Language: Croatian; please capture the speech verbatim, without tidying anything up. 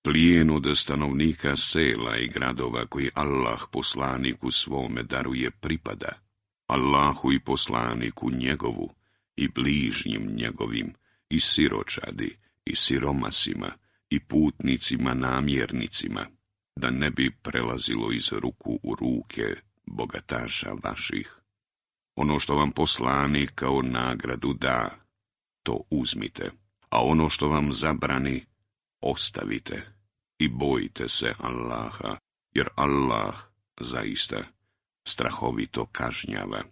plijen od stanovnika sela i gradova koji Allah poslaniku svome daruje pripada, Allahu i poslaniku njegovu, i bližnjim njegovim, i siročadi, i siromasima, i putnicima namjernicima, da ne bi prelazilo iz ruku u ruke bogataša vaših. Ono što vam poslanik kao nagradu da, to uzmite, a ono što vam zabrani, ostavite i bojite se Allaha, jer Allah zaista strahovito kažnjava.